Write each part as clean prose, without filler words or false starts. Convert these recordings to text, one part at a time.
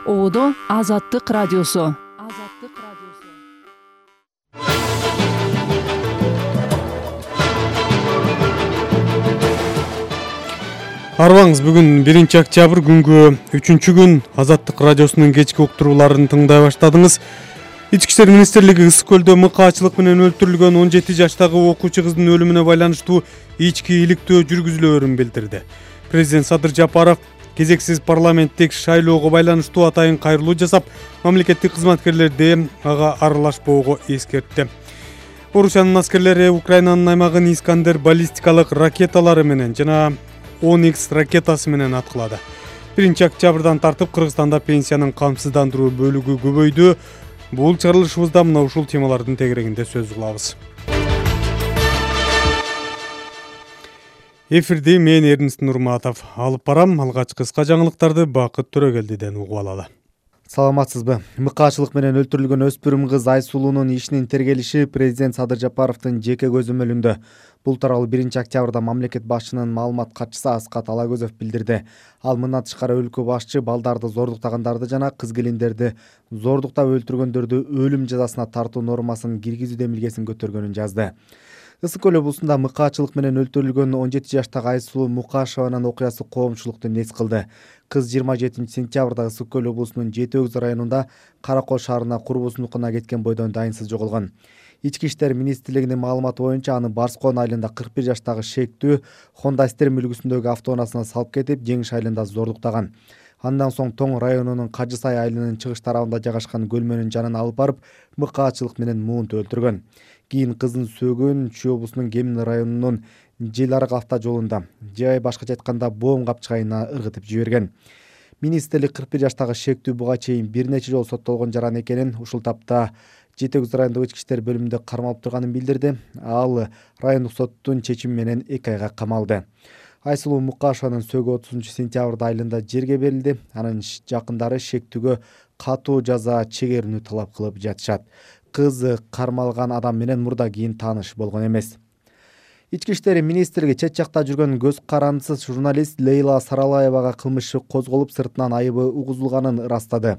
Одо Азаттык радиосу. Арбаңыз, бүгүн 1-октябрь күнгү 3-күн Азаттык радиосунун кечки уктурууларын тыңдай баштадыңыз. Ички иштер министрлиги Ысык көлдө мыкаачылык менен өлтүрүлгөн 17 жаштагы окуучу кыздын өлүмүнө байланыштуу ички иликтөө жүргүзүлөөрүн билдирди. Президент Садыр Жапаров кезексиз парламенттик шайлоого байланыштуу атайын кайрылуу жасап, мамлекеттик кызматкерлерди ага аралашпоого эскертти. Орусиянын аскерлери Украинанын аймагын Искандер баллистикалык ракеталары менен жана 10X ракетасы менен аткылады. 1-октябрдан тартып Кыргызстанда пенсиянын камсыздандыруу бөлүгү көбөйдү. Бул чыгарылышыбызда мына ушул темалардын тегерегинде сөз кылабыз. Эфирди мен Эрнест Нурматов алып барам. Алгач кыска жаңылыктарды Бакыт Төрөгелдиден угуп алалы. Саламатсызбы? Мыкаачылык менен өлтүрүлгөн өспүрүм кыз Айсулуунун ишинин тергелиши президент Садыр Жапаровдун жеке көзөмөлүндө. Бул тууралуу 1-октябрда мамлекет башчынын маалымат катчысы Аскат Алагөзов билдирди. Ал мындан тышкары өлкө башчы балдарды зордуктагандарды жана кыз келиндерди зордуктап өлтүргөндөрдү өлүм жазасына тартуу нормасын киргизүү демилгесин көтөргөнүн жазды. Ысык көл облусунда мыкаачылык менен өлтүрүлгөн 17 жаштагы Айсулуу Мукашеванын окуясы коомчулукту нес кылды. Кыз 27-сентябрда Ысык көл облусунун Жети Өгүз районунда Каракол шаарына курбусунукуна кеткен бойдон дайынсыз жоголгон. Ички иштер министрлигинин маалыматы боюнча аны Барскон айылында 41 жаштагы шектүү Honda Stem үлгүсүндөгү автоунаасына салып кетип, Жеңиш айылында зордуктаган. Андан соң Тоң районунун Кажы Сай айылынын чыгыш тарабында жайгашкан көлмөнүн жанына алып барып, мыкаачылык менен муунт өлтүргөн. Кийин кыздын сөөгүн Чүй облусунун Кемин районунун Жел арык автожолунда, же башкача айтканда Боом капчыгайына ыргытып жиберген. Министрлик 41 жаштагы шектүү буга чейин бир нече жолу соттолгон жаран экенин, ушул тапта Жети Өгүз райондук ички иштер бөлүмүндө кармалып турганын билдирди. Ал райондук соттун чечими менен 2 айга камалды. Айсулуу Мукашеванын сөөгү 30-сентябрда айылында жерге берилди. Анын жакындары шектүүгө катуу жаза чегерүүнү талап кылып жатышат. Кыз кармалган адам менен мурда кийин тааныш болгон эмес. Ички иштер министрлиги чет жакта жүргөн көз карандысыз журналист Лейла Саралаевага кылмыш иши козголуп, сыртынан айыбы угузулганын ырастады.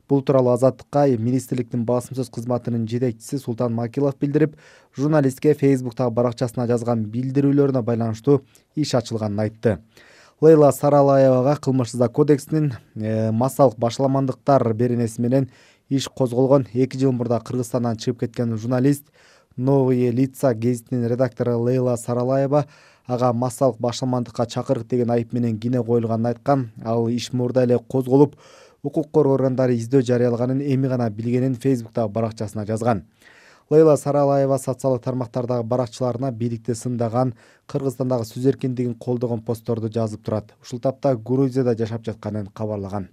Бул тууралуу Азаттыкка министрликтин басым сөз кызматынын жетекчиси Султан Макилов билдирип, журналистке Фейсбуктагы баракчасына жазган билдирүүлөрүнө байланыштуу иш ачылганын айтты. Лейла Саралаевага кылмыш кодексинин массалык башаламандыктар беренеси менен иш козголгон. 2 жыл мурда Кыргызстандан чыгып кеткен журналист Новые лица гезитинин редактору Лейла Саралаева ага массалык башаламандыкка чакырык деген айып менен кине коюлганын айткан. Ал иш мурда эле козголуп, укук коргоо органдары издөө жарыялаганын эми гана билгенин Фейсбуктагы баракчасына жазган. Лейла Саралаева социалдык тармактардагы баракчыларына бийликти сындаган, Кыргызстандагы сөз эркиндигин колдогон постторду жазып турат. Ушул тапта Грузияда жашап жатканын кабарлаган.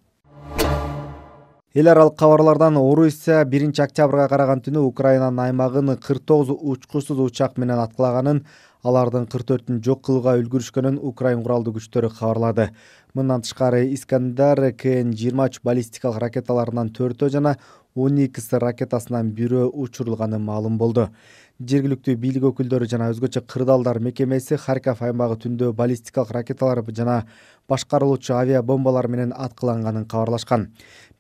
Эл аралык кабарлардан Орусия 1-октябрга караган түнү Украинанын аймагын 49 учкучсуз учак менен аткылаганын, алардын 44-ün жок кылууга үлгүрүшкөнүн Украин куралдуу күчтөрү кабарлады. Мындан тышкары Искандер КН-23 баллистикалык ракеталарынан 4-өө жана 10X ракетасынан 1-өө учурулганы маалым болду. Жергиликтүү бийлик өкүлдөрү жана өзгөчө кырдаалдар мекемеси Харьков аймагы түндө баллистикалык ракеталар жана башкарылуучу авиабомбалар менен аткыланганын кабарлашкан.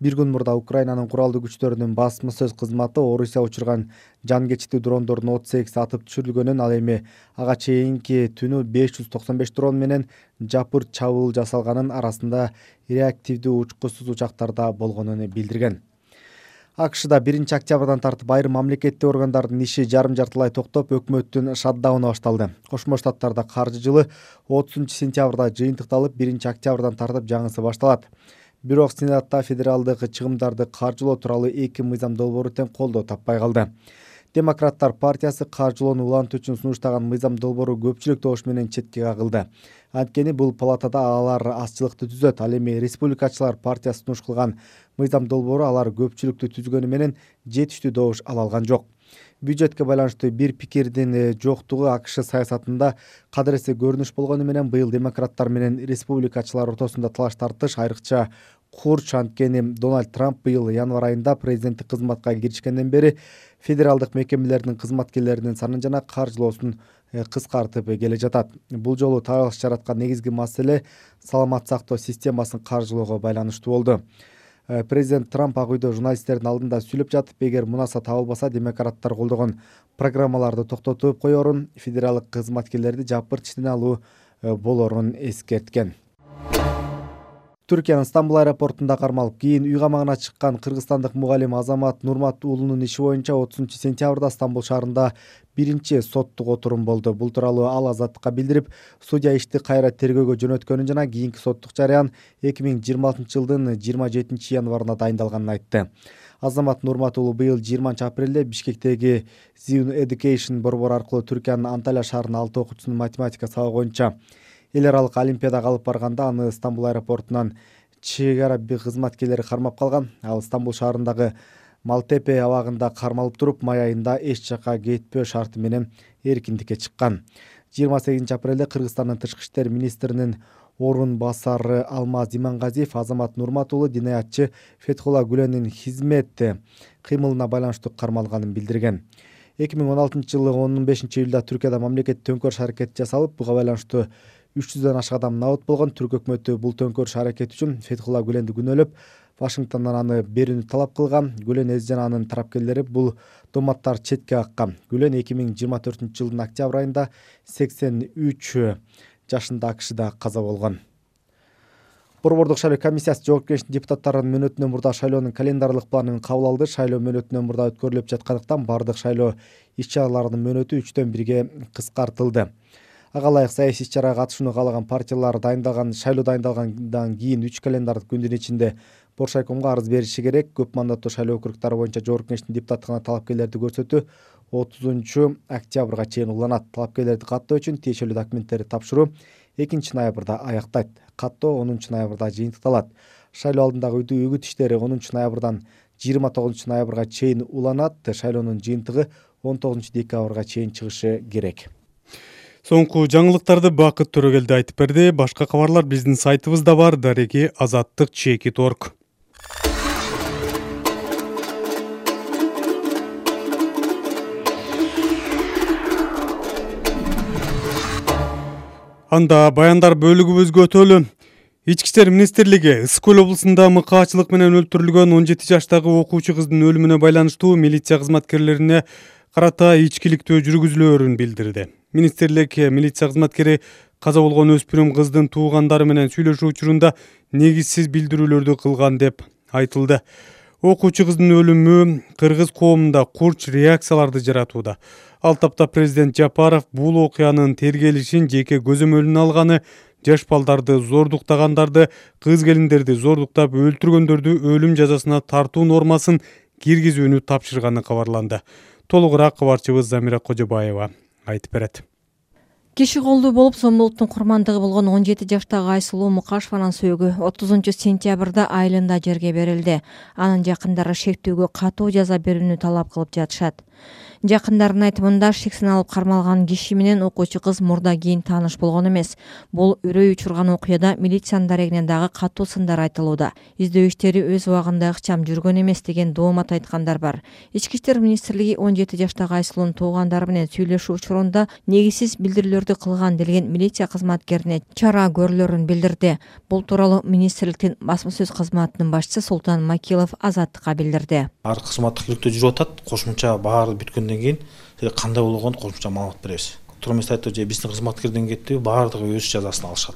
Бир күн мурда Украинанын куралдуу күчтөрүнүн басма сөз кызматы Орусия учурган жан кечиктүү дрондордун 38 атып түшүрүлгөнүн, ал эми ага чейинки түнү 595 дрон менен жапырт чабуул жасалганын, арасында реактивдүү учкучсуз учактарда болгонун билдирген. АКШда 1-октябрдан тартып айрым мамлекеттик органдардын иши жарым-жартылай токтоп, өкмөттүн шатдауну башталды. Кошмо Штаттарда каржы жылы 30-сентябрда жыйынтыкталып, 1-октябрдан тартып жаңысы башталат. Бирок Сенатта федералдык чыгымдарды каржылоо тууралуу 2 мыйзам долбоору тең колдоо таппай калды. Демократтар партиясы каржылоону улантуу үчүн сунуштаган мыйзам долбоору көпчүлүк добуш менен четке кагылды. Анткени бул палатада алар азчылыкты түзөт. Ал эми республикачылар партиясы сунуш кылган мыйзам долбоору алар көпчүлүктү түзгөнү менен жетиштүү добуш ала алган жок. Бюджетке байланыштуу бир пикирдин жоктугу АКШ саясатында кадыресе көрүнүш болгону менен быйыл демократтар менен республикачылар ортосунда талаш тартыш айрыкча курч. Анткени Дональд Трамп быйыл январь айында президенттик кызматка киришкенден бери федералдык мекемелердин кызматкерлеринин санын жана каржылоосун кыскартып келе жатат. Бул жолу талаш жараткан негизги маселе саламат сактоо системасын каржылоого байланыштуу болду. Президент Трамп Ак үйдө журналисттердин алдында сүйлөп жатып, эгер мунаса табылбаса, демократтар колдогон программаларды токтотуп коерун, федералдык кызматкерлерди жапырт иштен алуу болорун эскерткен. Түркиянын Стамбул аэропортунда кармалып, кийин үй камагына чыккан кыргызстандык мугалим Азамат Нурмат уулунун иши боюнча 30-сентябрда Стамбул шаарында биринчи соттук отурум болду. Бул тууралуу ал Азаттыкка билдирип, судья ишти кайра тергөөгө жөнөткөнүн жана кийинки соттук жарыян 2026-жылдын 27-январына дайындалганын айтты. Азамат Нурмат уулу быйыл 20-апрелде Бишкектеги Zion Education борбору аркылуу Түркиянын Анталия шаарынын 6 окуучусунун математика сабагы боюнча эл аралык олимпиадага алып барганда аны Стамбул аэропортунан чек ара кызматкерлери кармап калган. Ал Стамбул шаарындагы Малтепе абагында кармалып туруп, май айында эч жакка кетпөө шарты менен эркиндикке чыккан. 28-апрелде Кыргызстандын тышкы иштер министринин орун басары Алмаз Имангазиев Азамат Нурмат уулу динаятчы Фетхулла Гүленин хизмет кыймылына байланыштуу кармалганын билдирген. 2016-жылы 15-июлда Түркияда мамлекеттик төңкөрүш аракети жасалып, буга байланыштуу 300дөн ашык адам набыт болгон. Түрк өкмөтү бул төңкөрүш аракети үчүн Фетхулла Гүленди күнөөлөп, Вашингтондон аны берүүнү талап кылган. Гүлен эзи жана анын тарапкерлери бул доматтар четке каккан. Гүлен 2024-жылдын октябрь айында 83 жашында АКШда каза болгон. Борбордук шайлоо комиссиясы жоопкерчиликтин депутаттарынын мөөнөтүнөн мурда шайлоонун календарлык планын кабыл алды. Шайлоо мөөнөтүнөн мурда өткөрүлүп жаткандыктан бардык шайлоо иш-чараларынын мөөнөтү 3-төн 1-ге кыскартылды. Ага ылайык саясий иш-чарага катышууну каалаган партиялар шайлоо дайындалгандан кийин 3 календардык күндүн ичинде Боршайкомго арыз бериши керек. Көп мандаттуу шайлоо округдары боюнча жоопкерчиликтин депутаттыгына талапкерлерди көрсөтүү 30-октябрга чейин уланат. Талапкерлерди каттоо үчүн тиешелүү документтерди тапшыруу 2-ноябрда аяктайт. Каттоо 10-ноябрда жыйынтыкталат. Шайлоо алдындагы үгүт иштери 10-ноябрдан 29-ноябрга чейин уланат. Шайлоонун жыйынтыгы 19-декабрга чейин чыгышы керек. Соңку жаңылыктарды Бакыт Төрөгелди айтып берди. Башка кабарлар биздин сайтыбызда бар. Дареги azattik.org. Анда баяндар бөлүгүбүзгө өтөлү. Ички иштер министрлиги Ысык Көл облусунда мыкаачылык менен өлтүрүлгөн 17 жаштагы окуучу кыздын өлүмүнө байланыштуу милиция кызматкерлерине карата ичкиликтөө жүргүзүлөөрүн билдирди. Министрлик милиция кызматкери каза болгон өспүрүм кыздын туугандары менен сүйлөшүү учурунда негизсиз билдирүүлөрдү кылган деп айтылды. Окуучу кыздын өлүмү кыргыз коомунда курч реакцияларды жаратууда. Ал тапта президент Жапаров бул окуянын тергелишин жеке көзөмөлүнө алганы, жаш балдарды зордуктагандарды, кыз келиндерди зордуктап өлтүргөндөрдү өлүм жазасына тартуу нормасын киргизүүнү тапшырганы кабарланды. Толугураак кабарчыбыз Замира Кожобаева айтып берет. Киши колдуу болуп сомдуулуктун курмандыгы болгон 17 жаштагы Айсулуу Мукашеванын сөөгү 30-сентябрда айылында жерге берилди. Анын жакындары шектүүгө катуу жаза берүүнү талап кылып жатышат. Жакындарынын айтымында шексин алып кармалган киши менен окуучу кыз мурда кийин тааныш болгон эмес. Бул үрөй учурган окуяда милициянын дарегинен дагы катуу сындар айтылууда. Издөө иштери өз убагында ыкчам жүргөн эмес деген доомат айткандар бар. Ички иштер министрлиги 17 жаштагы Айсулуунун туугандары менен сүйлөшүү учурунда негизсиз билдирүүлөрдү кылган делген милиция кызматкерине чара көрүлөрүн билдирди. Бул тууралуу министрликтин басма сөз кызматынын башчысы Султан Макилов Азаттыкка билдирди. Ар кызматтык иликтөө жүрүп атат. Кошумча баары бүткөндөн кийин кандай болгону кошумча маалымат беребиз. Турмуз айтты же биздин кызматкерден кетти, баардыгы өз жазасын алышат.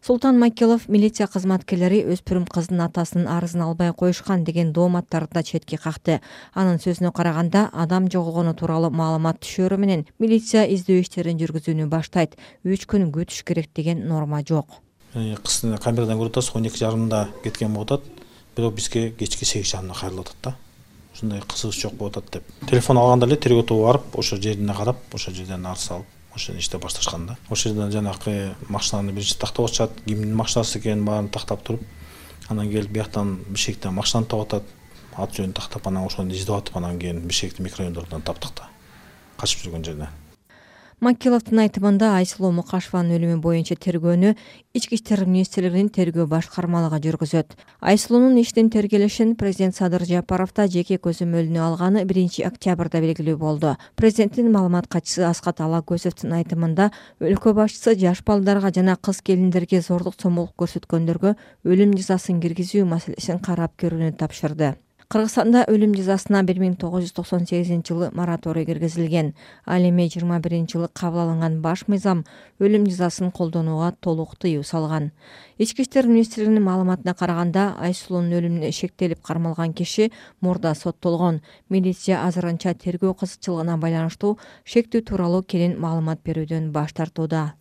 Султан Макилов милиция кызматкерлери өспүрүм кыздын атасынын арызын албай коюшкан деген дооматтарды да четке какты. Анын сөзүнө караганда, адам жоголгону тууралуу маалымат түшөрү менен милиция издөө иштерин жүргүзүүнү баштайт. 3 күн күтүш керек деген норма жок. Кыздын камерадан көрүп атасыз, 12:30 кеткен болуп атат. Бирок бизге кечки 8:30 кайрылып атат да. Ушундай кызыгыч жок болуп атат деп. Телефон алганда эле тергөө тобу барып, ошо жерине карап, ошо жерден арыз алып, ошо иште башташкан да. Ошол жерден жанакы машинаны биринчи тактап атышат, кимдин машинасы экенин баарын тактап туруп, анан келип бияктан Бишкектен машинаны таап атат, ат жөнүн тактап, анан ошону издеп атып, анан кийин Бишкектин микрорайондорунан таптык да. Качып жүргөн жерден. Макиловдун айтымында Айсулуу Мукашеванын өлүмү боюнча тергөөнү Ички иштер министрлигинин тергөө башкармалыгы жүргүзөт. Айсулуунун иштин тергелишин президент Садыр Жапаров да жеке көзөмөлүнө алганы 1 октябрда белгилүү болду. Президенттин маалымат катчысы Аскат Алагөзовдун айтымында өлкө башчысы жаш балдарга жана кыз келиндерге зордук зомбулук көрсөткөндөргө өлүм жазасын киргизүү маселесин карап көрүүнү тапшырды. Кыргызстанда өлүм жазасына 1998-жылы мораторий киргизилген. Ал эми 21-жылы кабыл алынган баш мыйзам өлүм жазасын колдонууга толук тыюу салган. Ички иштер министрлигинин маалыматына караганда, Айсулуунун өлүмүнө шектелип кармалган киши мурда соттолгон. Милиция азырынча тергөө кызыкчылыгына байланыштуу шектүү тууралуу кенен маалымат берүүдөн баш тартууда.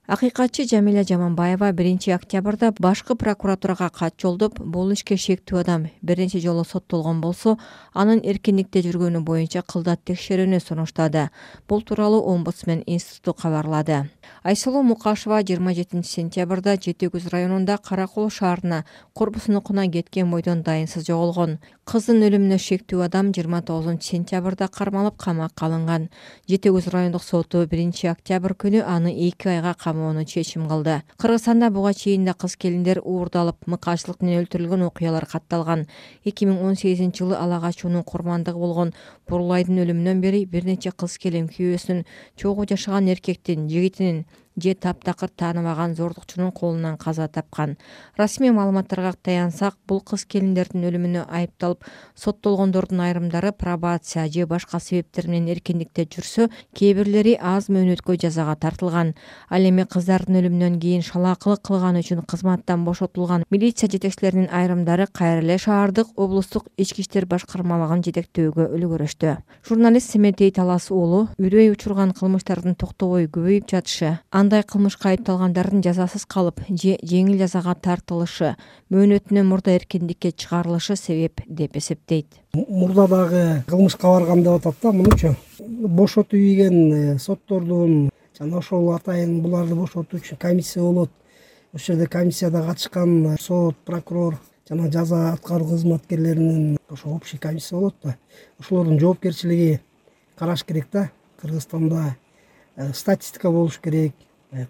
Акыйкатчы Жамиля Жаманбаева 1 октябрда башкы прокуратурага кат жолдоп, бул ишке шектүү адам бир нече жолу соттолгон болсо, анын эркиндикте жүргөнү боюнча кылдат текшерүүнү сунуштады. Бул тууралуу Омбудсмен институту кабарлады. Айсулуу Мукашева 27 сентябрда Жети Көз районунда Каракол шаарына корпусунукуна кеткен бойдон дайынсыз жоголгон. Кыздын өлүмүнө шектүү адам 29 сентябрда кармалып камакка алынган. Жети Көз райондук соту 1 октябрь күнү аны 2 айга камоону чечим кылды. Кыргызстанда буга чейин да кыз келиндер уурдалып, мыкаачылык менен өлтүрүлгөн окуялар катталган. 2018-жылы ала качуунун курмандыгы болгон Бурлайдын өлүмүнөн бери бир нече кыз келин күйөөсүнүн, чогуу жашаган эркектин, жигитинин же таптакыр тааныбаган зордукчунун колунан каза тапкан. Расмий маалыматтарга таянсак, бул кыз келиндердин өлүмүнө айыпталып соттолгондордун айрымдары пробация же башка себептер менен эркиндикте жүрсө, кээ бирлери аз мөөнөткө жазага тартылган. Ал эми кыздардын өлүмүнөн кийин шалаакылык кылганы үчүн кызматтан бошотулган милиция жетекчилеринин айрымдары кайра эле шаардык облустук ички иштер башкармалыгын жетектөөгө үлгүрүштү. Журналист Семетей Талас уулу үрөй учурган кылмыштардын токтобой көбөйүп жатышы, андай кылмышка айыпталгандардын жазасыз калып же жеңил жазага тартылышы, мөөнөтүнөн мурда эркиндикке чыгарылышы себеп деп эсептейт. Мурда дагы кылмышка барган деп атат да, мунучу. Бошотуп ийген соттордун жана ошол атайын буларды бошотуу үчүн комиссия болот. Ошол жерде комиссияда катышкан сот, прокурор жана жаза аткаруу кызматкерлеринин ошо общий комиссия болот да. Ошолордун жоопкерчилиги караш керек да. Кыргызстанда статистика болуш керек.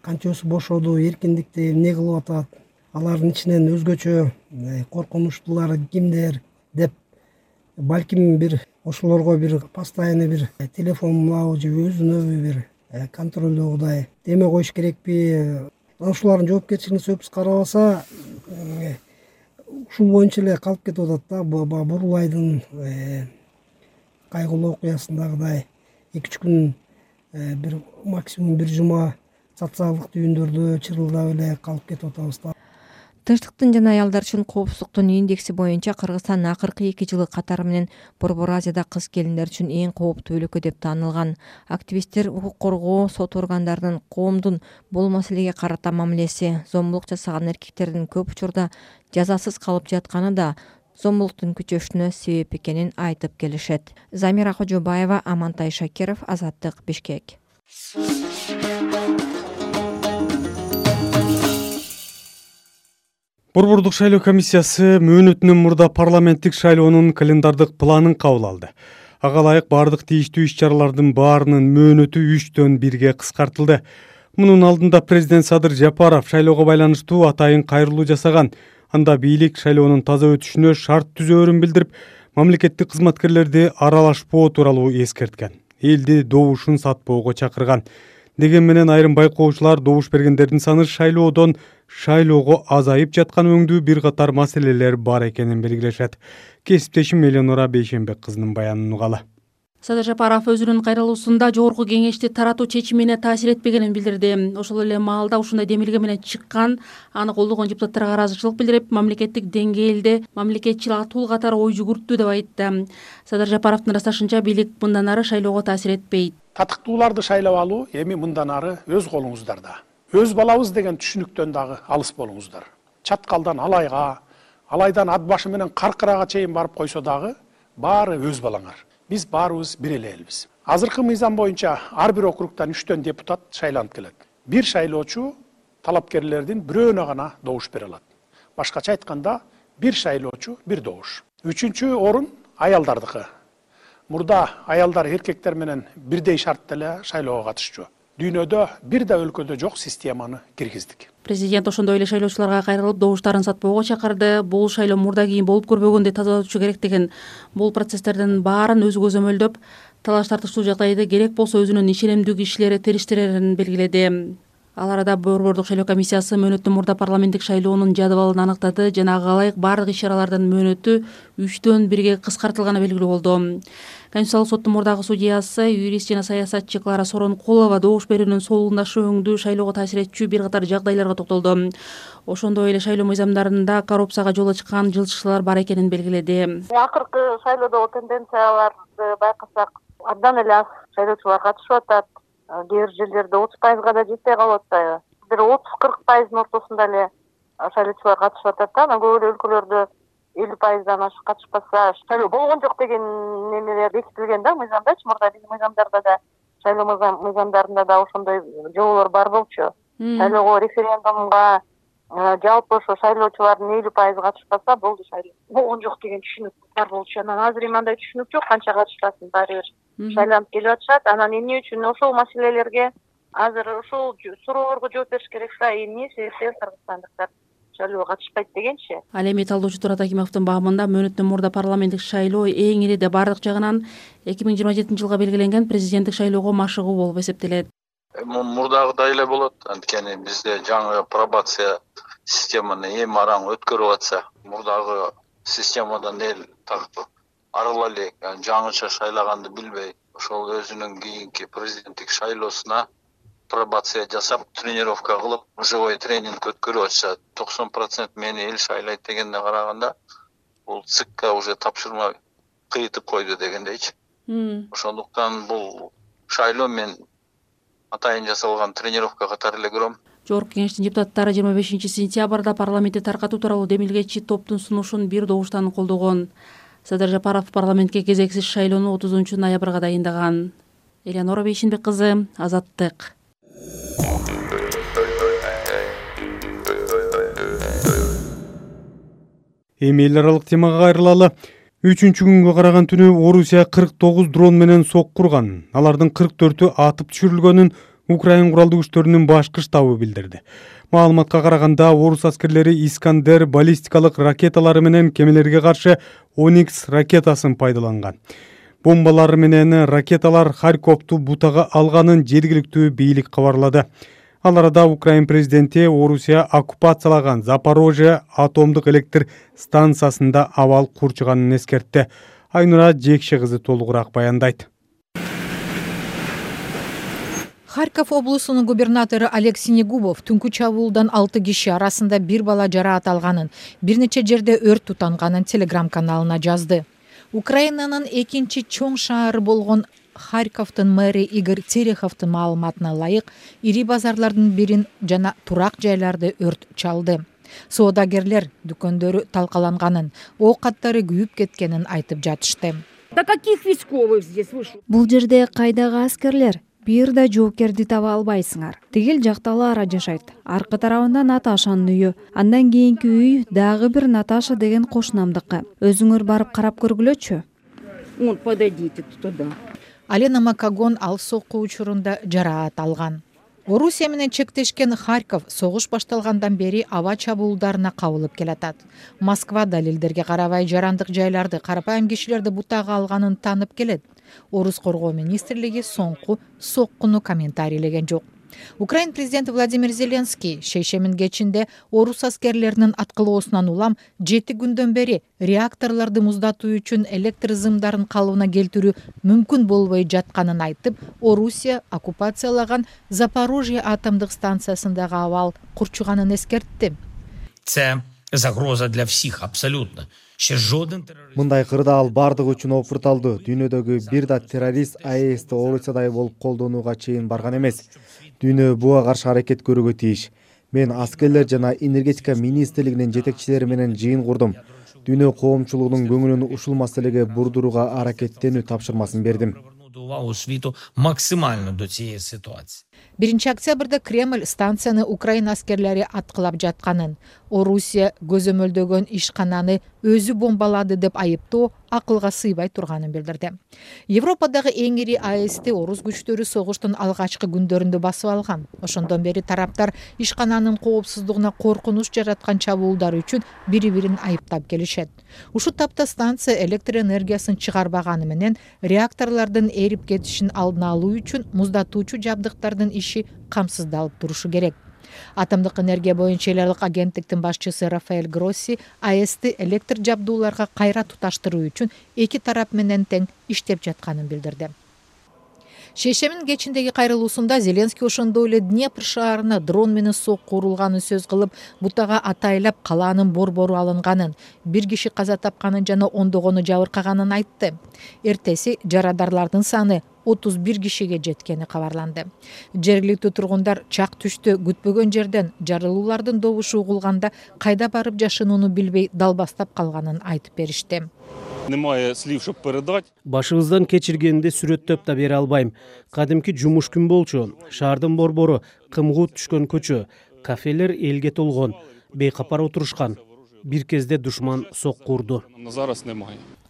Канчасы бошоду, эркиндикте эмне кылып атат, алардын ичинен өзгөчө коркунучтуулары кимдер деп, балким бир ошолорго бир постоянный бир телефонлоо же өзүнө бир контролдоогудай эме коюш керекпи? Ошолордун жоопкерчилигин сөзсүз карабаса, ушул боюнча эле калып кетип атат да. Бурлайдын кайгылуу окуясындагыдай 2-3 күн, бир максимум бир жума социалдык түйүндөрдө чырылдап эле калып кетип атабыз да. Тынчтыктын жана аялдар үчүн коопсуздуктун индекси боюнча Кыргызстан акыркы 2 жылы катары менен Борбор Азияда кыз келиндер үчүн эң кооптуу өлкө деп таанылган. Активисттер укук коргоо, сот органдарынын коомдун бул маселеге карата мамилеси, зомбулук жасаган эркектердин көп учурда жазасыз калып жатканы да зомбулуктун күчөшүнө себеп экенин айтып келишет. Замира Кожобаева, Амантай Шакиров, Азаттык, Бишкек. Борбордук шайлоо комиссиясы мөөнөтүнөн мурда парламенттик шайлоонун календардык планын кабыл алды. Ага ылайык бардык тийиштүү иш-чаралардын баарынын мөөнөтү 3-төн 1-ге кыскартылды. Мунун алдында президент Садыр Жапаров шайлоого байланыштуу атайын кайрылуу жасаган. Анда бийлик шайлоонун таза өтүшүнө шарт түзөөрүн билдирип, мамлекеттик кызматкерлерди аралашпоо тууралуу эскерткен. Элди добушун сатпоого чакырган. Деген менен айрым байкоочулар добуш бергендердин саны шайлоого азайып жаткан өңдүү бир катар маселелер бар экенин белгилешет. Кесиптешим Элеонора Бейшенбек кызынын баянын угалы. Садыр Жапаров өзүнүн кайрылуусунда жогорку кеңешти таратуу чечимине таасир этпегенин билдирди. Ошол эле маалда ушундай демилге менен чыккан, аны колдогон депутаттарга ыраазычылык билдирип, мамлекеттик деңгээлде мамлекетчил атуу катары ой жүгүрттү деп айтты. Садыр Жапаровдун ырасташынча, бийлик мындан ары шайлоого таасир этпейт. Татыктууларды шайлап алуу эми мындан ары өз колуңуздарда. Өз балабыз деген түшүнүктөн дагы алыс болуңуздар. Чаткалдан алайдан ат башы менен каркырага чейин барып койсо дагы баары өз балаңар. Биз баарыбыз бир эле элбиз. Азыркы мыйзам боюнча ар бир округтан 3-төн депутат шайланып келет. Бир шайлоочу талапкерлердин бирөөнө гана добуш бере алат. Башкача айтканда, бир шайлоочу бир добуш. 3-чү орун аялдардыкы. Мурда аялдар эркектер менен бирдей шартта эле шайлоого катышчу. Дүйнөдө бир да өлкөдө жок системаны киргиздик. Президент ошондой эле шайлоочуларга кайрылып, добуштарын сатпоого чакырды. Бул шайлоо мурда кийин болуп көрбөгөндөй тазалануучу керек деген. Бул процесстердин баарын өзү көзөмөлдөп, талаш тартыштуу жагдайды керек болсо өзүнүн ишенимдүү кишилери териштирерин белгиледи. Ал арада Борбордук шайлоо комиссиясы мөөнөттөн мурда парламенттик шайлоонун жадыбалын аныктады жана ага ылайык бардык иш-чаралардын мөөнөтү 3-1 кыскартылганы белгилүү болду. Конституциялык соттун мурдагы судьясы, юрист жана саясатчы Клара Соронкулова добуш берүүнүн солундашуу өңдүү шайлоого таасир этчү бир катар жагдайларга токтолду. Ошондой эле шайлоо мыйзамдарында коррупцияга жол ачкан жылчышчылар бар экенин белгиледи. Акыркы шайлоодогу тенденцияларды байкасак, абдан эле аз шайлоочулар катышып атат. Кээ бир жерлерде 30%га да жетпей калып атпайбы? Бир 30-40%дын ортосунда эле шайлоочулар катышып атат да. Анан көп эле өлкөлөрдө 50%дан ашык катышпаса шайлоо болгон жок деген немелер бекитилген да мыйзамдачы. Мурда биздин мыйзамдарда да, шайлоо мыйзамдарында да ошондой жоболор бар болчу. Шайлоого, референдумга жалпы ошо шайлоочулардын 50% катышпаса болду, шайлоо болгон жок деген түшүнүк бар болчу. Анан азыр мындай түшүнүк жок, канча катышпасын баары бир шайланып келип атышат. Анан эмне үчүн ошол маселелерге азыр ошол суроолорго жооп бериш керек да, эмне себептен кыргызстандыктар шайлоого катышпайт дегенчи. Ал эми талдоочу Турат Акимовдун багымында мөөнөттөн мурда парламенттик шайлоо эң ириде бардык жагынан 2027-жылга белгиленген президенттик шайлоого машыгуу болуп эсептелет. Мурдагыдай эле болот. Анткени бизде жаңы пробация системаны эми араң өткөрүп атса, мурдагы системадан эл тартып арыла элек, жаңыча шайлаганды билбей, ошол өзүнүн кийинки президенттик шайлоосуна пробация жасап, тренировка кылып, живой тренинг өткөрүп атса, 90% мени эл шайлайт дегенде караганда, бул ЦИКка уже тапшырма кыйтып койду дегендейчи. Ошондуктан бул шайлоо мен атайын жасалган тренировка катары эле көрөм. Жогорку кеңештин депутаттары 25-сентябрда парламентти таркатуу тууралуу демилгечи топтун сунушун бир добуштан колдогон. Садыр Жапаров парламентке кезексиз шайлоону 30-ноябрга дайындаган. Элеонора Бейшинбек кызы, Азаттык. Эми эл аралык темага кайрылалы. 3-күнгө караган түнү Орусия 49 дрон менен соккурган. Алардын 44-ü атып түшүрүлгөнүн Украин куралдуу күчтөрүнүн башкы штабы билдирди. Маалыматка караганда орус аскерлери Искандер баллистикалык ракеталары менен кемелерге каршы Оникс ракетасын пайдаланган. Бомбалар менен ракеталар Харьковду бутага алганын жергиликтүү бийлик кабарлады. Ал арада Украин президенти Орусия оккупациялаган Запорожье атомдук электр станциясында абал курчуганын эскертти. Айнура Жекши кызы толугураак баяндайт. Харьков облусунун губернатору Олег Синегубов түнкү чабуулдан 6 киши арасында бир бала жараат алганын, бир нече жерде өрт тутанганын телеграм-каналына жазды. Украинанын экинчи чоң шаары болгон Харьковдун мэри Игорь Тереховдун маалыматына ылайык, ири базарлардын бирин жана турак жайларды өрт чалды. Соодагерлер дүкөндөрү талкаланганын, ок каттары күйүп кеткенин айтып жатышты. Да каких войсковых здесь вышел? Бул жерде кайдагы аскерлер? Бир да жоокерди таба албайсыңар. Тигил жакта Лара жашайт. Аркы тарабында Наташанын үйү. Андан кийинки үй дагы бир Наташа деген кошунамдыкы. Өзүңөр барып карап көргүлөчү. Вон, подойдите туда. Алена Макагон ал сокку учурунда жараат алган. Орусия менен чектешкен Харьков согуш башталгандан бери аба чабуулдарына кабылып келатат. Москва далилдерге карабай жарандык жайларды, карапайым кишилерди бутага алганын таанып келет. Орус коргоо министрлиги соңку соккуну комментарийлеген жок. Украин президенти Владимир Зеленский шейшемин кечинде орус аскерлеринин аткылоосунан улам 7 күндөн бери реакторлорду муздатуу үчүн электр зымдарын калыбына келтирүү мүмкүн болбой жатканын айтып, Орусия оккупациялаган Запорожье атомдук станциясындагы абал курчуганын эскертти. Це загроза для всех абсолютно. Мындай кырдаал бардыгы үчүн опурталды. Дүйнөдөгү бир да террорист АЭСти Орусиядай болуп колдонууга чейин барган эмес. Дүйнө буга каршы аракет көрүүгө тийиш. Мен аскерлер жана энергетика министрлигинин жетекчилери менен жыйын курдум. Дүйнө коомчулугунун көңүлүн ушул маселеге бурдурууга аракеттенүү тапшырмасын бердим. Увагу світу максимально до цієї ситуації. 1 октябрда Кремль станцияны Украина аскерлери аткылап жатканын, Орусия көзөмөлдөгөн ишкананы өзү бомбалады деп айыптоо акылга сыйбай турганын билдирди. Европадагы эң ири АЭСти орус күчтөрү согуштун алгачкы күндөрүндө басып алган. Ошондон бери тараптар ишкананын коопсуздугуна коркунуч жараткан чабуулдар үчүн бири-бирин айыптап келишет. Ушул тапта станция электр энергиясын чыгарбаганы менен реакторлордун эрип кетишин алдын алуу үчүн муздатуучу жабдыктардын иши камсыздалып турушу керек. Атомдук энергия боюнча эл аралык агенттиктин башчысы Рафаэль Гросси АЭСти электр жабдууларга кайра туташтыруу үчүн эки тарап менен тең иштеп жатканын билдирди. Шейшемин кечиндеги кайрылуусунда Зеленский ошондой эле Днепр шаарына дрон менен сокку урулганын сөз кылып, бутага атайлап калаанын борбору алынганын, 1 киши каза тапканын жана ондогону жабыркаганын айтты. Эртеси жарадарлардын саны 31 кишиге жеткени кабарланды. Жергиликтүү тургундар чак түштө күтпөгөн жерден жарылуулардын добушу угулганда кайда барып жашынууну билбей далбастап калганын айтып беришти. Башыбыздан кечиргенди сүрөттөп да бере албайм. Кадимки жумуш күн болчу. Шаардын борбору, кымгуу түшкөн көчө, кафелер элге толгон, бейкапар отурушкан. Бир кезде душман сокку урду.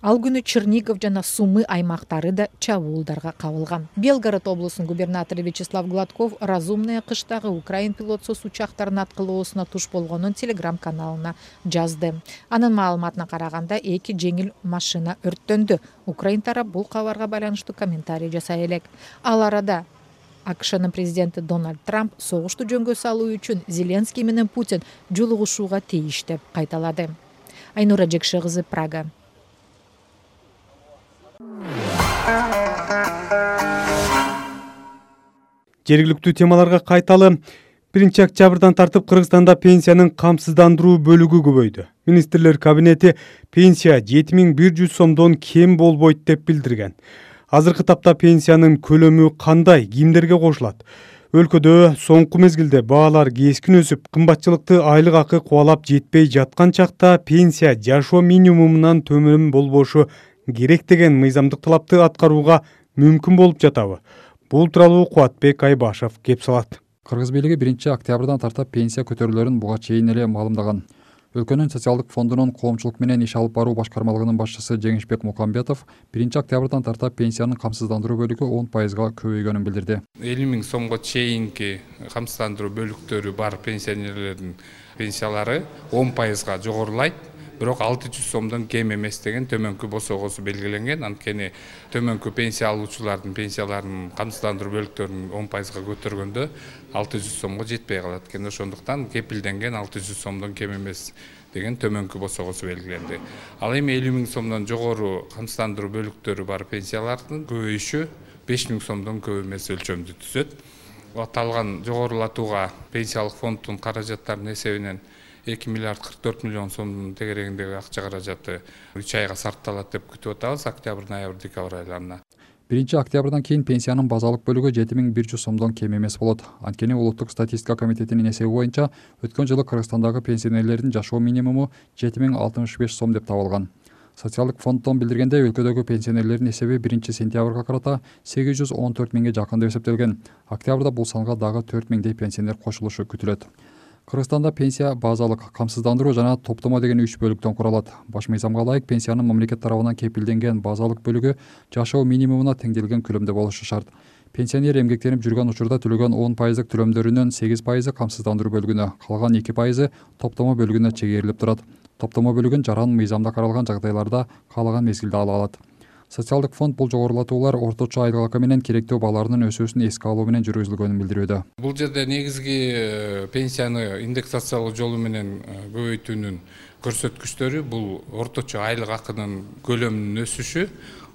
Ал күнү Чернигов жана Сумы аймактары да чабуулдарга кабылган. Белгород облусунун губернатору Вячеслав Гладков разумная кыштагы украин пилотсуз учактардын аткылоосуна туш болгонун телеграм-каналына жазды. Анын маалыматына караганда 2 жеңил машина өрттөндү. Украин тарап бул кабарга байланыштуу комментарий жасай элек. Ал арада АКШнын президенти Дональд Трамп согушту жөнгө салуу үчүн Зеленский менен Путин жолугушууга тийиш деп кайталады. Айнура Жекше кызы, Прага. Жергиликтүү темаларга кайталы. 1 октябрдан тартып Кыргызстанда пенсиянын камсыздандыруу бөлүгү көбөйдү. Министрлер кабинети пенсия 7100 сомдон кем болбойт деп билдирген. Азыркы тапта пенсиянын көлөмү кандай, кимдерге кошулат? Өлкөдө соңку мезгилде баалар кескин өсүп, кымбатчылыкты айлык акы кубалап жетпей жаткан чакта пенсия жашоо минимумунан төмөн болбошу керек деген мыйзамдык талапты аткарууга мүмкүн болуп жатабы? Бул тууралуу Кубатбек Айбашев кеп салат. Кыргыз бийлиги 1 октябрдан тартып пенсия көтөрүүлөрүн буга чейин эле маалымдаган. Өлкөнүн социалдык фондунун коомчулук менен иш алып баруу башкармалыгынын башчысы Жеңишбек Мукамбетов 1 октябрдан тартып пенсиянын камсыздандыруу бөлүгү 10%га көбөйгөнүн билдирди. 50 000 сомго чейинки камсыздандыруу бөлүктөрү бар пенсионерлердин пенсиялары 10%га жогорулайт. Бирок 600 сомдон кем эмес деген төмөнкү босогосу белгиленген. Анткени төмөнкү пенсия алуучулардын пенсияларынын камсыздандыруу бөлүктөрүн 10%га көтөргөндө 600 сомго жетпей калат экен. Ошондуктан кепилденген 600 сомдон кем эмес деген төмөнкү босогосу белгиленди. Ал эми 50 000 сомдон жогору камсыздандыруу бөлүктөрү бар пенсиялардын көбөйүшү 5 000 сомдон көп эмес өлчөмдү түзөт. Аталган жогорулатууга пенсиялык фонддун каражаттарынын эсебинен 2 миллиард 44 миллион сомдун тегерегиндеги акча каражаты 3 айга сарпталат деп күтүп атабыз октябрь, ноябрь, декабрь айларына. 1 октябрдан кийин пенсиянын базалык бөлүгү 7100 сомдон кем эмес болот. Анткени Улуттук статистика комитетинин эсеби боюнча өткөн жылы Кыргызстандагы пенсионерлердин жашоо минимуму 7065 сом деп табылган. Социалдык фонддон билдиргенде өлкөдөгү пенсионерлердин эсеби 1 сентябрга карата 814 миңге жакын деп эсептелген. Октябрда бул санга дагы 4 миңдей пенсионер кошулушу күтүлөт. Кыргызстанда пенсия базалык, камсыздандыруу жана топтомо деген 3 бөлүктөн куралат. Баш мыйзамга ылайык пенсиянын мамлекет тарабынан кепилденген базалык бөлүгү жашоо минимумуна теңделген көлөмдө болушу шарт. Пенсионер эмгектенип жүргөн учурда төлөгөн 10% төлөмдөрүнүн 8% камсыздандыруу бөлүгүнө, калган 2% топтомо бөлүгүнө чегерилип турат. Топтомо бөлүгүн жаран мыйзамда каралган жагдайларда каалаган мезгилде ала алат. Социалдык фонд бул жогорулатуулар орточо айлык акы менен керектөө бааларынын өсүүсүн эске алуу менен жүргүзүлгөнүн билдирүүдө. Бул жерде негизги пенсияны индексациялоо жолу менен көбөйтүүнүн көрсөткүчтөрү бул орточо айлык акынын көлөмүнүн өсүшү,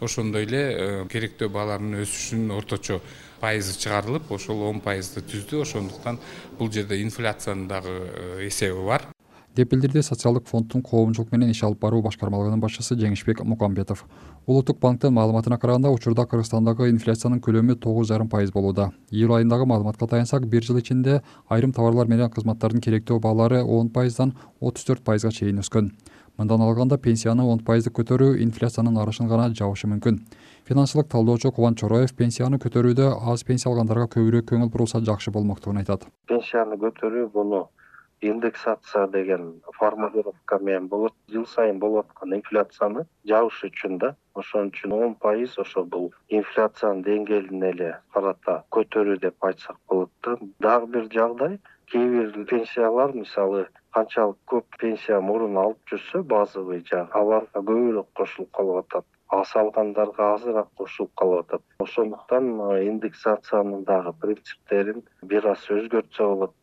ошондой эле керектөө бааларынын өсүшүнүн орточо пайызы чыгарылып, ошол 10%ды түздү. Ошондуктан бул жерде инфляциянын дагы эсеби бар. деп билдирди социалдык фонддун коомчулук менен иш алып баруу башкармалыгынын башчысы Жеңишбек Мукамбетов. Улуттук банктын маалыматына караганда учурда Кыргызстандагы инфляциянын көлөмү 9,5% болууда. Июль айындагы маалыматка таянсак, бир жыл ичинде айрым товарлар менен кызматтардын керектөө баалары 10%дан 34%га чейин өскөн. Мындан алганда пенсияны 10% көтөрүү инфляциянын арышын гана жабышы мүмкүн. Финансылык талдоочу Кубан Чороев пенсияны көтөрүүдө аз пенсия алгандарга көбүрөөк көңүл бурулса жакшы болмоктугун айтат. Пенсияны көтөрүү буну индексация деген формулировка менен болот. Жыл сайын болуп аткан инфляцияны жабыш үчүн да. Ошон үчүн 10% ошо бул инфляциянын деңгээлин эле карата көтөрүү деп айтсак болот да. Дагы бир жагдай, кээ бир пенсиялар мисалы канчалык көп пенсия мурун алып жүрсө, базовый жагы аларга көбүрөөк кошулуп калып атат. Аз алгандарга азыраак кошулуп калып атат. Ошондуктан индексациянын дагы принциптерин бир аз өзгөртсө болот.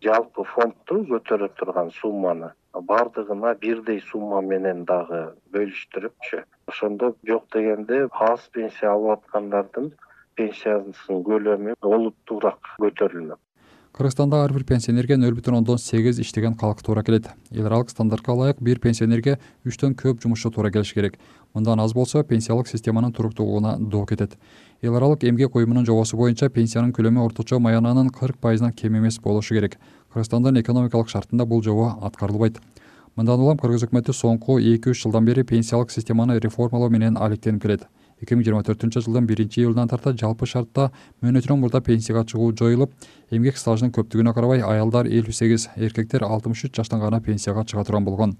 Жалпы фондду көтөрө турган сумманы бардыгына бирдей сумма менен дагы бөлүштүрүпчү. Ошондо жок дегенде аз пенсия алып аткандардын пенсиясынын көлөмү олуттуураак көтөрүлмөк. Кыргызстанда ар бир пенсионерге 0,8 иштеген калк туура келет. Эл аралык стандартка ылайык бир пенсионерге 3төн көп жумушчу туура келиш керек. Мындан аз болсо пенсиялык системанын туруктуулугуна доо кетет. Эл аралык эмгек уюмунун жобосу боюнча пенсиянын көлөмү орточо маянанын 40%-дан кем эмес болушу керек. Кыргызстандын экономикалык шартында бул жобо аткарылбайт. Мындан улам Кыргыз өкмөтү соңку 2-3 жылдан бери пенсиялык системаны реформалоо менен алектенип келет. 2024-жылдын 1-июлунан тарта жалпы шартта мөөнөтүнөн мурда пенсияга чыгуу жоюлуп, эмгек стажынын көптүгүнө карабай аялдар 58, эркектер 63 жаштан гана пенсияга чыга турган болгон.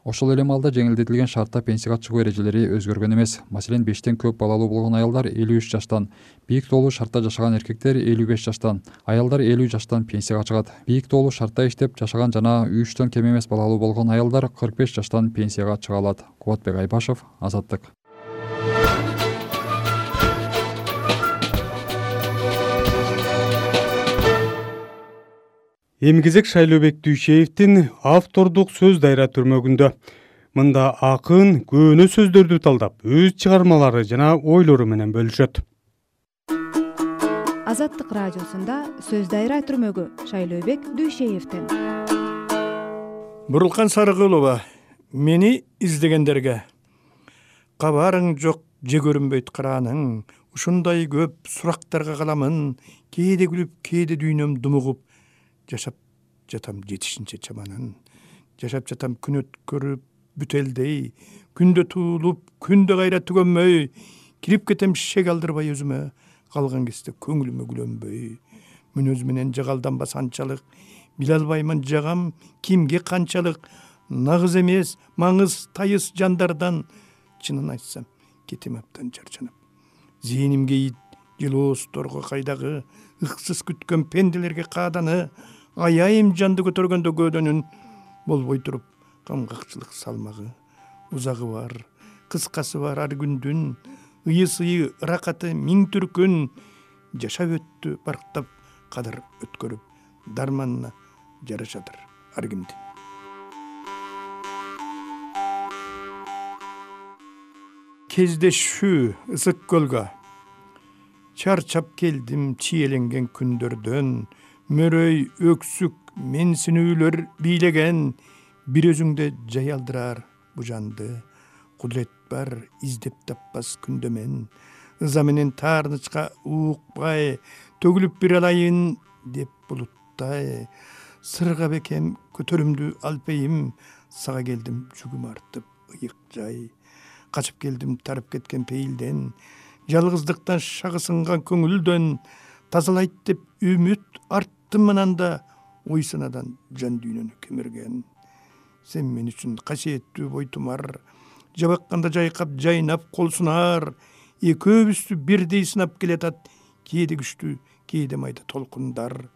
Ошол эле маалда жеңилдетилген шартта пенсияга чыгуу эрежелери өзгөргөн эмес. Маселен, 5тен көп балалуу болгон аялдар 53 жаштан, бийик тоолуу шартта жашаган эркектер 55 жаштан, аялдар 50 жаштан пенсияга чыгат. Бийик тоолуу шартта иштеп жашаган жана 3төн кем эмес балалуу болгон аялдар 45 жаштан пенсияга чыга алат. Кубатбек Айбашев, Азаттык. Эмгезек Шайлообек Дүйшеевдин автордук сөз дайра түрмөгүндө. Мында акын көөнө сөздөрдү талдап, өз чыгармалары жана ойлору менен бөлүшөт. Азаттык радиосунда сөз дайра түрмөгү Шайлообек Дүйшеевдин. Бурулкан Сарыгулова, мени издегендерге кабарың жок, же көрүнбөйт карааның, ушундай көп сурактарга каламын, кээде күлүп, кээде дүйнөм думугуп, жашап жатам жетишинче чаманын. Жашап жатам күн өткөрүп бүтелдей, күндө туулуп, күндө кайра түгөнмөй, кирип кетем шек алдырбай өзүмө, калган кезде көңүлүмө күлөнбөй. Мүнөз менен жагалданбас анчалык, биле албаймын жагам кимге канчалык, нагыз эмес, маңыз тайыз жандардан, чынын айтсам, кетем абдан жарчанып. Зээнимге ит жылоосторго кайдагы, ыксыз күткөн пенделерге кааданы, аяйым жанды көтөргөндө көөдөнүн, болбой туруп камгакчылык салмагы. Узагы бар, кыскасы бар ар күндүн, ыйы-сыйы ыракаты миң түркүн, жашап өттү барктап кадыр өткөрүп, дарманына жарашадыр ар кимди. Кездешүү ысык көлгө, чарчап келдим чиеленген күндөрдөн, мөрөй өксүк менсинүүлөр бийлеген, бир өзүңдө жай алдырар бу жанды. Кудурет бар издеп таппас күндө мен, ыза менен таарнычка уукпай, төгүлүп бир алайын деп булуттай. Сырга бекем көтөрүмдү алпейим, сага келдим жүгүм артып ыйык жай. Качып келдим тарып кеткен пейилден, жалгыздыктан шагы сынган көңүлдөн, тазалайт деп үмүт арттым мынанда, ой санадан жан дүйнөнү кемирген. Сен мен үчүн касиеттүү бойтумар, жабакканда жайкап жайнап кол сунар, экөөбүздү бирдей сынап келатат, кээде күчтүү, кээде майда толкундар.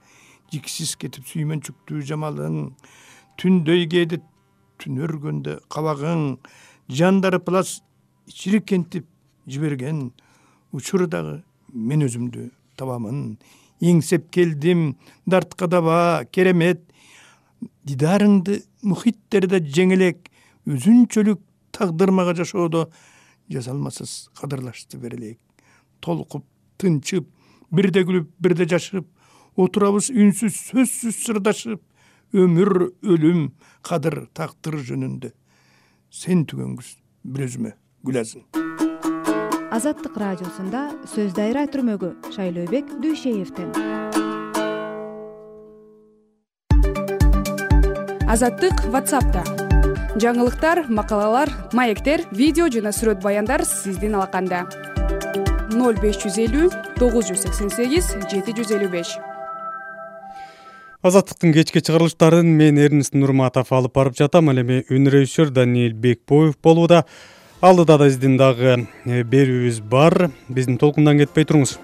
Жиксиз кетип сүймөнчүктүү жамалың, түндөй кээде түн өргөндө кабагың, жандары плас чиркентип жиберген, учурдагы мен өзүмдү табамын. Эңсеп келдим дартка даба керемет, дидарыңды мухиттерде жеңелек, өзүнчөлүк тагдырмага жашоодо жазалмасыз кадырлашты берелек. Толкуп, тынчып, бирде күлүп, бирде жашып, отурабыз үнсүз, сөзсүз сырдашып, өмүр өлүм кадыр тактыр жөнүндө сен түгөнгүз бир өзүмө гүлазым. Азаттык радиосунда сөз дайра түрмөгү Шайлообек Дүйшеевден. Азаттык WhatsApp'та. Жаңылыктар, макалалар, маектер, видео жана сүрөт баяндар сиздин алаканда. 0550 988 755. Азаттыктын кечки чыгарылыштарын мен Эрнест Нурматов алып барып жатам. Ал эми үн режиссер Даниил Бекбоев болууда. Алдыда да сиздин дагы берүүбүз бар. Биздин толкундан кетпей туруңуз.